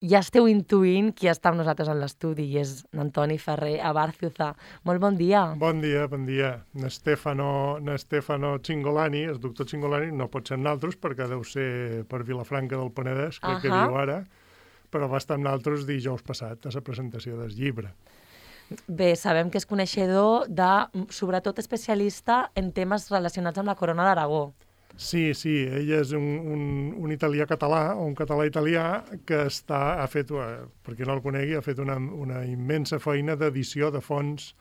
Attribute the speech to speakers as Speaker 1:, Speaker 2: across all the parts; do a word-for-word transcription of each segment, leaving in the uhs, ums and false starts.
Speaker 1: ja esteu intuint qui està amb nosaltres en l'estudi, i és Antoni Ferrer Abarciuza. Molt bon dia.
Speaker 2: Bon dia, bon dia. N'Stefano N'Stefano Cingolani, el doctor Cingolani, no pot ser naltros perquè deu ser per Vilafranca del Penedès, crec uh -huh. que viu ara, però va estar amb naltros dijous passat a la presentació del llibre.
Speaker 1: Bé, sabem que és coneixedor de, sobretot especialista en temes relacionats amb la Corona d'Aragó.
Speaker 2: Sí, sí, ell és un, un, un italià català, o un català italià, que està, ha fet, per qui no el conegui, ha fet una, una immensa feina d'edició de fonts,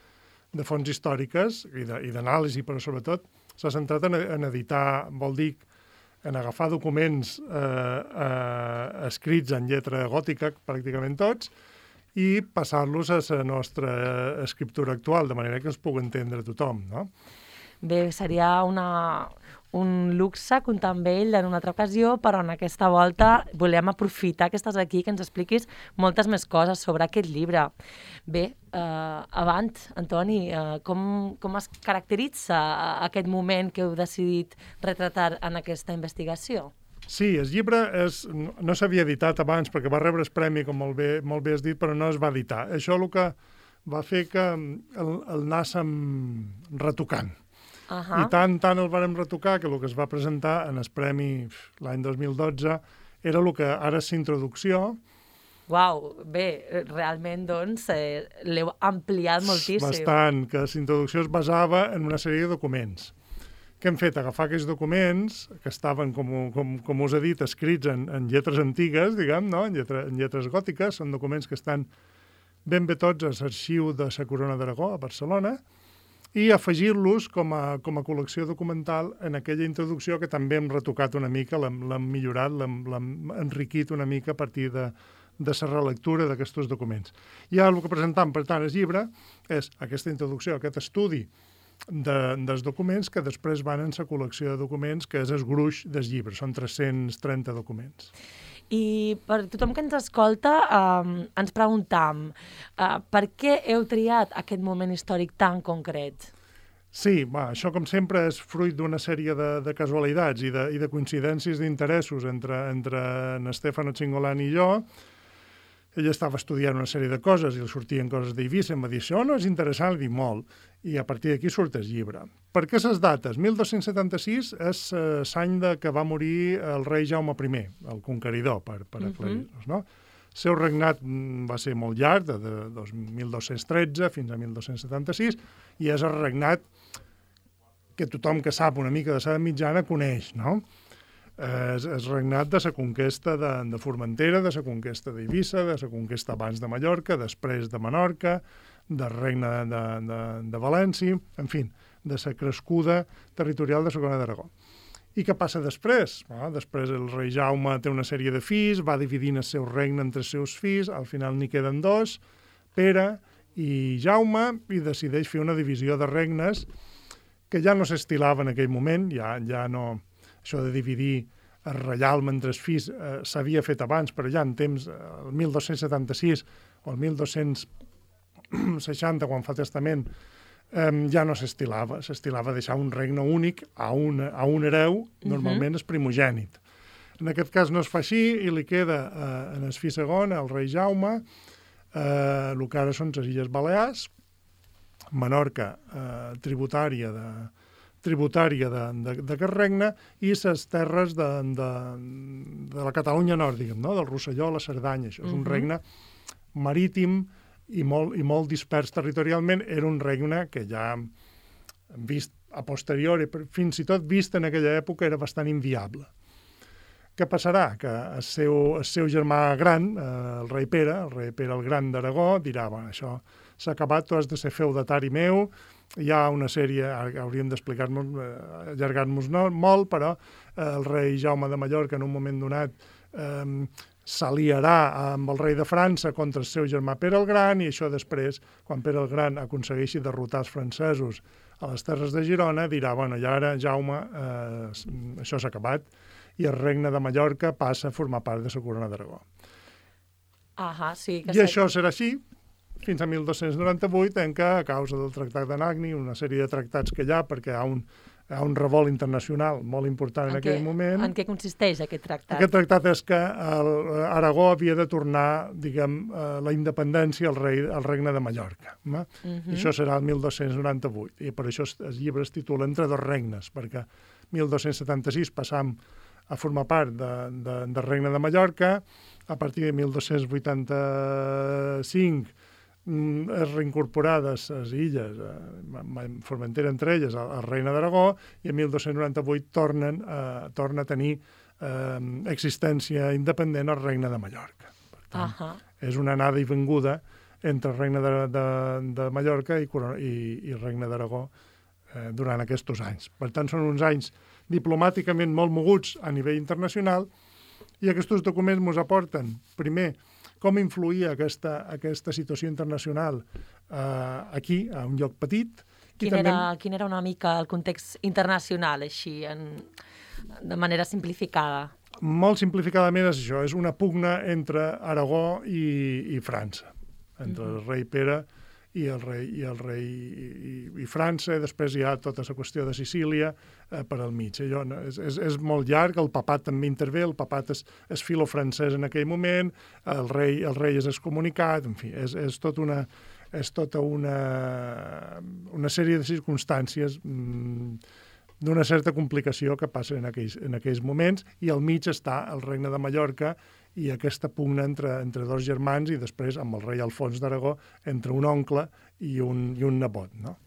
Speaker 2: de fonts històriques i d'anàlisi, però sobretot s'ha centrat en, en editar, vol dir, en agafar documents eh, eh, escrits en lletra gòtica, pràcticament tots, i passar-los a la nostra escriptura actual, de manera que els pugui entendre tothom, no?
Speaker 1: Bé, seria una, un luxe comptar amb ell en una altra ocasió, però en aquesta volta volem aprofitar que estàs aquí, que ens expliquis moltes més coses sobre aquest llibre. Bé, eh, avant, Antoni, eh, com, com es caracteritza aquest moment que heu decidit retratar en aquesta investigació?
Speaker 2: Sí, el llibre és, no s'havia editat abans perquè va rebre el premi, com molt bé, molt bé has dit, però no es va editar. Això el que va fer que el, el anàssim retocant. Uh -huh. I tant, tant el vàrem retocar que el que es va presentar en el premi l'any dos mil dotze era el que ara és introducció.
Speaker 1: Uau, bé, realment, doncs, eh, l'heu ampliat moltíssim.
Speaker 2: Bastant, que la introducció es basava en una sèrie de documents. Què hem fet? Agafar aquests documents, que estaven, com, com, com us he dit, escrits en, en lletres antigues, diguem, no? en, lletra, en lletres gòtiques, són documents que estan ben bé tots a l'arxiu de la Corona d'Aragó, a Barcelona, i afegir-los com a, com a col·lecció documental en aquella introducció que també hem retocat una mica, l'hem millorat, l'hem enriquit una mica a partir de, de la relectura d'aquests documents. I ara el que presentam, per tant, el llibre és aquesta introducció, aquest estudi de, dels documents que després van en la col·lecció de documents, que és el gruix del llibre. Són tres-cents trenta documents.
Speaker 1: I per tothom que ens escolta, eh, ens preguntam eh, per què heu triat aquest moment històric tan concret?
Speaker 2: Sí, va, això com sempre és fruit d'una sèrie de, de casualitats i de, i de coincidències d'interessos entre, entre en Stefano Cingolani i jo. Ell estava estudiant una sèrie de coses i li sortien coses d'Eivissa, em va dir, això no és interessant, li dic molt, i a partir d'aquí surt el llibre. Per què les dates? mil dos-cents setanta-sis és eh, l'any que va morir el rei Jaume I, el conqueridor, per, per aclarir-nos, no? El seu regnat va ser molt llarg, de, de, de mil dos-cents tretze fins a mil dos-cents setanta-sis, i és el regnat que tothom que sap una mica de l'edat mitjana coneix, no? És el regnat de la conquesta de, de Formentera, de la conquesta d'Eivissa, de la conquesta abans de Mallorca, després de Menorca, del regne de, de, de València, en fi, de la crescuda territorial de la Corona d'Aragó. I què passa després? Bueno, després el rei Jaume té una sèrie de fills, va dividint el seu regne entre els seus fills, al final n'hi queden dos, Pere i Jaume, i decideix fer una divisió de regnes que ja no s'estilava en aquell moment, ja, ja no... Això de dividir el reialme entre els fills eh, s'havia fet abans, però ja en temps, el mil dos-cents setanta-sis o el mil dos-cents seixanta, quan fa el testament, eh, ja no s'estilava. S'estilava deixar un regne únic a un, a un hereu, normalment és primogènit. En aquest cas no es fa així i li queda eh, en el fill segon, el rei Jaume, eh, el que ara són les Illes Balears, Menorca, eh, tributària de tributària d'aquest regne, i les terres de, de, de la Catalunya nord, diguem, no? Del Rosselló, la Cerdanya. Això és un uh -huh. regne marítim i molt, i molt dispers territorialment. Era un regne que ja hem vist a posteriori, fins i tot vist en aquella època, era bastant inviable. Què passarà? Que el seu, el seu germà gran, eh, el rei Pere, el rei Pere el Gran d'Aragó, dirà, bueno, això s'ha acabat, tu has de ser feudatari meu. Hi ha una sèrie, hauríem d'explicar-nos, eh, allargar-nos no, molt, però eh, el rei Jaume de Mallorca en un moment donat eh, s'aliarà amb el rei de França contra el seu germà Pere el Gran, i això després, quan Pere el Gran aconsegueixi derrotar els francesos a les terres de Girona, dirà, bueno, i ara Jaume, eh, això s'ha acabat, i el regne de Mallorca passa a formar part de la Corona d'Aragó.
Speaker 1: Ahà, sí. Que
Speaker 2: I això serà així fins a mil dos-cents noranta-vuit, en què, a causa del Tractat d'Anagni, una sèrie de tractats que hi ha, perquè hi ha un, hi ha un revolt internacional molt important en, en aquell què, moment.
Speaker 1: En què consisteix aquest tractat?
Speaker 2: Aquest tractat és que el, Aragó havia de tornar, diguem, la independència al, rei, al regne de Mallorca. Uh -huh. I això serà el mil dos-cents noranta-vuit. I per això el llibre es titula Entre dos regnes, perquè mil dos-cents setanta-sis passam a formar part de, de, del regne de Mallorca. A partir de mil dos-cents vuitanta-cinc es reincorporades les illes, eh, Formentera entre elles, al, al regne d'Aragó, i en mil dos-cents noranta-vuit tornen, eh, torna a tenir eh, existència independent al regne de Mallorca. Per tant, uh -huh. és una anada i venguda entre el regne de, de, de Mallorca i, i, i el regne d'Aragó eh, durant aquests anys. Per tant, són uns anys diplomàticament molt moguts a nivell internacional, i aquests documents ens aporten, primer, com influïa aquesta, aquesta situació internacional eh, aquí, a un lloc petit.
Speaker 1: Quin, també... era, quin era una mica el context internacional, així, en, de manera simplificada?
Speaker 2: Molt simplificadament és això, és una pugna entre Aragó i, i França, entre mm-hmm. el rei Pere i el rei, i, el rei i, i, i França, i després hi ha tota la qüestió de Sicília eh, per al mig. Allò, no? és, és, és molt llarg, el papat també intervé, el papat és, és filo-francès en aquell moment, el rei, el rei és excomunicat, en fi, és, és, tot una, és tota una, una sèrie de circumstàncies mmm, d'una certa complicació que passa en aquells, en aquells moments, i al mig està el regne de Mallorca i aquesta pugna entre, entre dos germans, i després amb el rei Alfons d'Aragó entre un oncle i un, i un nebot, no?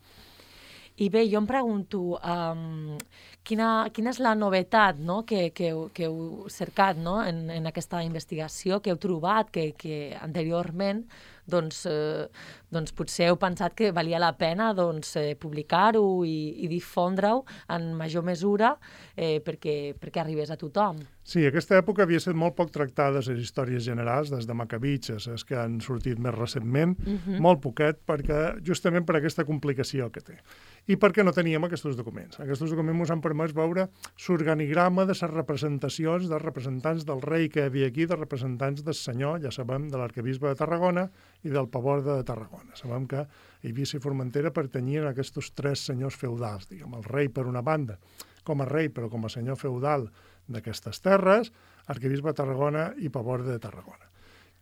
Speaker 1: I bé, jo em pregunto, um, quina, quina és la novetat, no?, que, que, que heu cercat, no?, en, en aquesta investigació, que heu trobat, que, que anteriorment doncs, eh, doncs potser heu pensat que valia la pena doncs, eh, publicar-ho i, i difondre-ho en major mesura eh, perquè, perquè arribés a tothom.
Speaker 2: Sí, aquesta època havia estat molt poc tractada les històries generals, des de Macabitxes, les que han sortit més recentment, uh-huh. molt poquet, perquè, justament per aquesta complicació que té. I perquè no teníem aquests documents. Aquests documents ens han permès veure l'organigrama de les representacions dels representants del rei que hi havia aquí, dels representants del senyor, ja sabem, de l'arquebisbe de Tarragona i del paborde de Tarragona. Sabem que Eivissa i Formentera pertanyien a aquests tres senyors feudals, diguem, el rei per una banda, com a rei però com a senyor feudal d'aquestes terres, arquebisbe de Tarragona i paborde de Tarragona.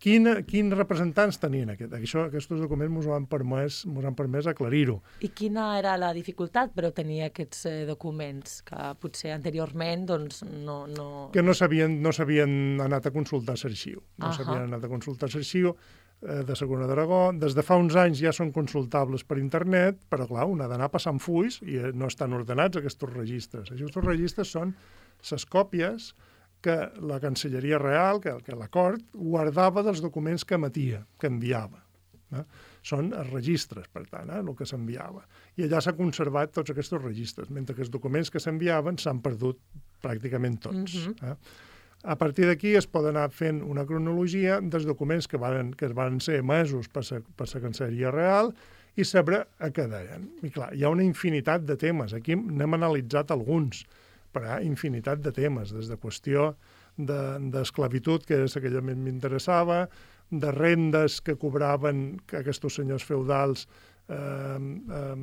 Speaker 2: Quin, quins representants tenien aquest? Això, aquests documents ens han permès, ens han permès aclarir-ho.
Speaker 1: I quina era la dificultat per obtenir aquests eh, documents, que potser anteriorment doncs, no, no...
Speaker 2: Que no s'havien no s'havien anat a consultar l'arxiu. No uh-huh. s'havien anat a consultar l'arxiu eh, de la Corona d'Aragó. Des de fa uns anys ja són consultables per internet, però clar, un ha d'anar passant fulls i no estan ordenats aquests registres. Aquests registres són les còpies que la Cancelleria Real, que, que la cort, guardava dels documents que emetia, que enviava. Eh? Són els registres, per tant, eh, el que s'enviava. I allà s'ha conservat tots aquests registres, mentre que els documents que s'enviaven s'han perdut pràcticament tots. Mm-hmm. eh? A partir d'aquí es pot anar fent una cronologia dels documents que van, que van ser emesos per la, per la Cancelleria Real i saber a què deien. I clar, hi ha una infinitat de temes. Aquí n'hem analitzat alguns, però hi ha infinitat de temes, des de qüestió d'esclavitud, que és aquella que m'interessava, de rendes que cobraven aquests senyors feudals eh, eh,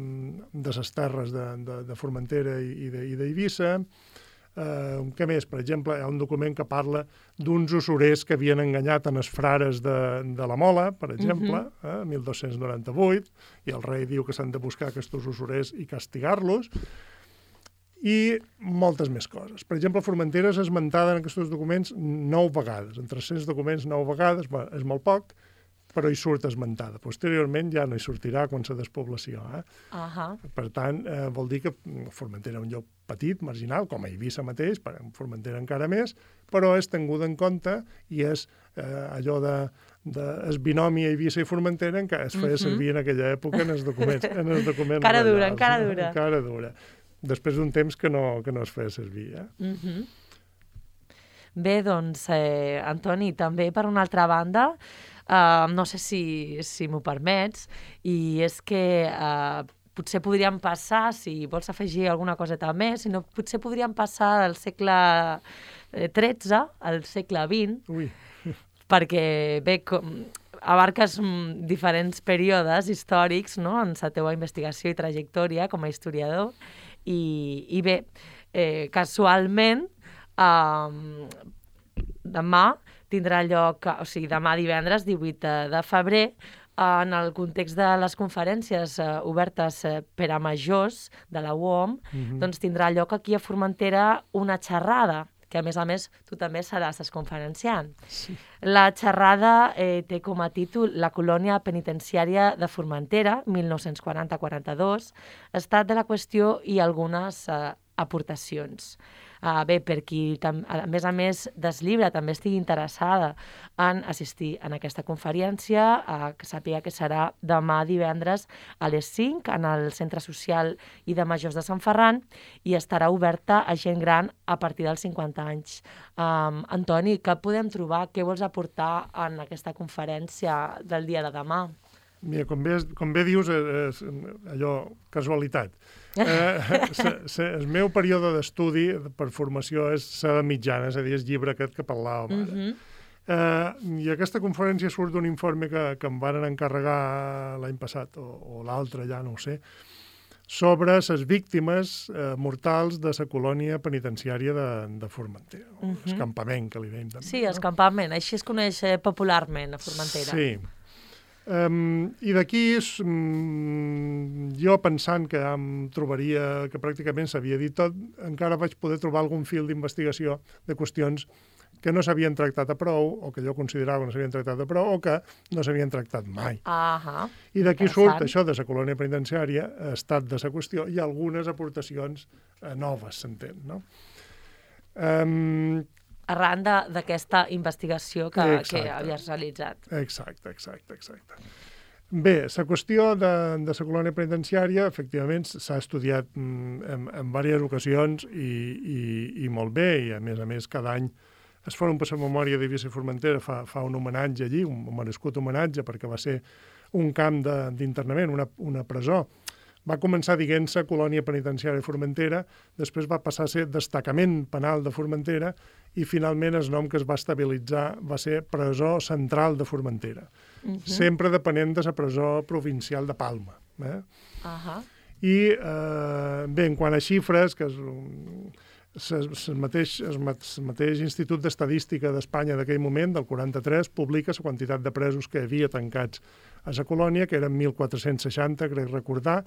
Speaker 2: de les terres de, de, de Formentera i d'Eivissa. Eh, què més? Per exemple, hi ha un document que parla d'uns usurers que havien enganyat en els frares de, de la Mola, per exemple, uh-huh. eh, mil dos-cents noranta-vuit, i el rei diu que s'han de buscar aquests usurers i castigar-los, i moltes més coses. Per exemple, Formentera és esmentada en aquests documents nou vegades. En tres-cents documents, nou vegades, bé, és molt poc, però hi surt esmentada. Posteriorment ja no hi sortirà quan la despoblació. Eh?
Speaker 1: Uh-huh.
Speaker 2: Per tant, eh, vol dir que Formentera és un lloc petit, marginal, com a Eivissa mateix, per Formentera encara més, però és tinguda en compte i és eh, allò de, de es binomi Eivissa i Formentera que es feia uh-huh. servir en aquella època en els documents. En els documents
Speaker 1: cara
Speaker 2: reials,
Speaker 1: dura, encara dura.
Speaker 2: Encara dura. Després d'un temps que no, que no es feia servir. Eh?
Speaker 1: Uh-huh. Bé, doncs, eh, Antoni, també per una altra banda, eh, no sé si, si m'ho permets, i és que eh, potser podríem passar, si vols afegir alguna coseta més, si no, potser podríem passar del segle tretze al segle vint,
Speaker 2: Ui.
Speaker 1: perquè, bé, com, abarques mm, diferents períodes històrics, no?, en la teva investigació i trajectòria com a historiador, I, i bé, eh, casualment, eh, demà tindrà lloc, o sigui, demà divendres, divuit de febrer, en el context de les conferències eh, obertes eh, per a majors de la U O M, mm-hmm. doncs tindrà lloc aquí a Formentera una xerrada, que a més a més tu també seràs conferenciant.
Speaker 2: Sí.
Speaker 1: La xerrada eh, té com a títol La colònia penitenciària de Formentera, mil nou-cents quaranta-quaranta-dos, estat de la qüestió i algunes eh, aportacions. Uh, bé, per qui, tam, a més a més, des llibre també estigui interessada en assistir en aquesta conferència, uh, que sàpiga que serà demà divendres a les cinc en el Centre Social i de Majors de Sant Ferran i estarà oberta a gent gran a partir dels cinquanta anys. Um, Antoni, què podem trobar? Què vols aportar en aquesta conferència del dia de demà?
Speaker 2: Mira, com bé, com bé dius, és allò, casualitat. Eh, se, se, el meu període d'estudi per formació és la mitjana, és a dir, el llibre aquest que parlàvem ara. Mm-hmm. eh, I aquesta conferència surt d'un informe que, que em van encarregar l'any passat, o, o l'altre, ja no ho sé, sobre les víctimes eh, mortals de la colònia penitenciària de, de Formentera, o mm-hmm. el campament, que li dèiem també.
Speaker 1: Sí, el campament, així es coneix popularment a Formentera.
Speaker 2: Sí. Um, I d'aquí, um, jo pensant que em trobaria, que pràcticament s'havia dit tot, encara vaig poder trobar algun fil d'investigació de qüestions que no s'havien tractat a prou, o que jo considerava que no s'havien tractat a prou, o que no s'havien tractat mai.
Speaker 1: Uh-huh.
Speaker 2: I d'aquí surt això de la colònia penitenciària, estat de la qüestió, i algunes aportacions eh, noves, s'entén, no? Um,
Speaker 1: Arran d'aquesta investigació que, que havies realitzat.
Speaker 2: Exacte, exacte, exacte. Bé, la qüestió de, de la colònia penitenciària, efectivament, s'ha estudiat en, en diverses ocasions i, i, i molt bé, i a més a més cada any es Fòrum per la Memòria de Eivissa i Formentera fa, fa un homenatge allí, un merescut homenatge, perquè va ser un camp d'internament, una, una presó. Va començar dient-se colònia penitenciària de Formentera, després va passar a ser destacament penal de Formentera i finalment el nom que es va estabilitzar va ser presó central de Formentera, uh-huh. sempre depenent de la presó provincial de Palma. Eh?
Speaker 1: Uh-huh.
Speaker 2: I, eh, bé, en quant a xifres, que és el mateix, el mateix Institut d'Estadística d'Espanya d'aquell moment, del quaranta-tres, publica la quantitat de presos que havia tancats a la colònia, que eren mil quatre-cents seixanta, crec recordar,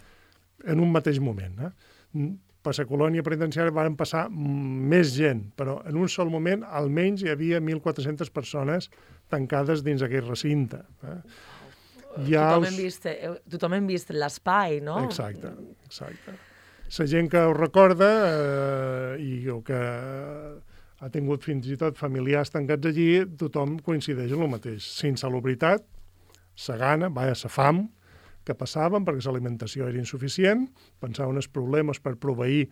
Speaker 2: en un mateix moment. Eh? Per la colònia penitenciària van passar més gent, però en un sol moment almenys hi havia mil quatre-centes persones tancades dins aquell recinte. Eh? Ja
Speaker 1: tothom,
Speaker 2: us...
Speaker 1: hem vist, tothom hem vist l'espai, no?
Speaker 2: Exacte, exacte. La gent que ho recorda eh, i o que ha tingut fins i tot familiars tancats allí, tothom coincideix en el mateix. La insalubritat, la gana, vaja, la fam, que passaven perquè l'alimentació era insuficient, pensaven els problemes per proveir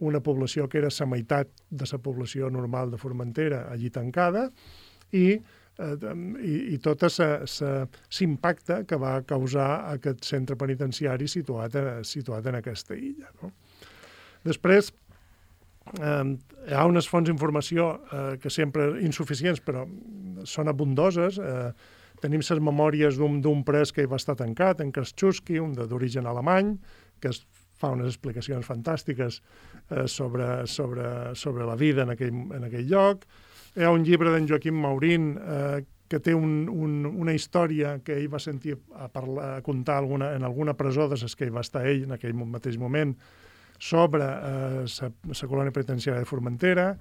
Speaker 2: una població que era la meitat de la població normal de Formentera allí tancada i, eh, i, i tot l'impacte que va causar aquest centre penitenciari situat, a, situat en aquesta illa. No? Després, eh, hi ha unes fonts d'informació eh, que sempre insuficients, però són abundoses. Eh, Tenim les memòries d'un pres que hi va estar tancat, en Kraszewski, un d'origen alemany, que es fa unes explicacions fantàstiques eh, sobre, sobre, sobre la vida en aquell, en aquell lloc. Hi ha un llibre d'en Joaquim Maurín eh, que té un, un, una història que ell va sentir a, parlar, a contar alguna, en alguna presó de les que hi va estar ell en aquell mateix moment sobre la eh, colònia penitenciària de Formentera.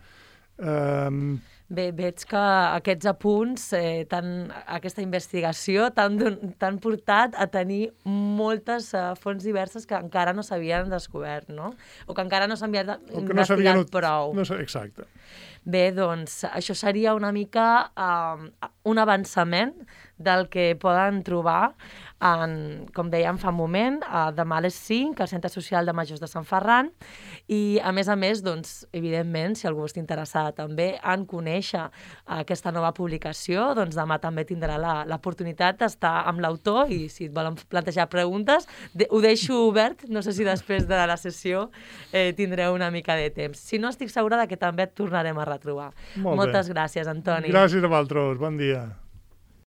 Speaker 2: Um...
Speaker 1: Bé, veig que aquests apunts, eh, tan, aquesta investigació t'han portat a tenir moltes uh, fonts diverses que encara no s'havien descobert, no? O que encara no s'havien investigat no prou.
Speaker 2: No, exacte.
Speaker 1: Bé, doncs, això seria una mica uh, un avançament del que poden trobar, en, com dèiem fa un moment, uh, demà a les cinc al Centre Social de Majors de Sant Ferran i, a més a més, doncs, evidentment, si algú està interessat també en conèixer aquesta nova publicació, doncs demà també tindrà l'oportunitat d'estar amb l'autor i si et volen plantejar preguntes, de, ho deixo obert, no sé si després de la sessió eh, tindreu una mica de temps. Si no, estic segura de que també et tornarem a retrobar.
Speaker 2: Molt
Speaker 1: Moltes
Speaker 2: bé.
Speaker 1: Gràcies, Antoni.
Speaker 2: Gràcies a vosaltres, bon dia.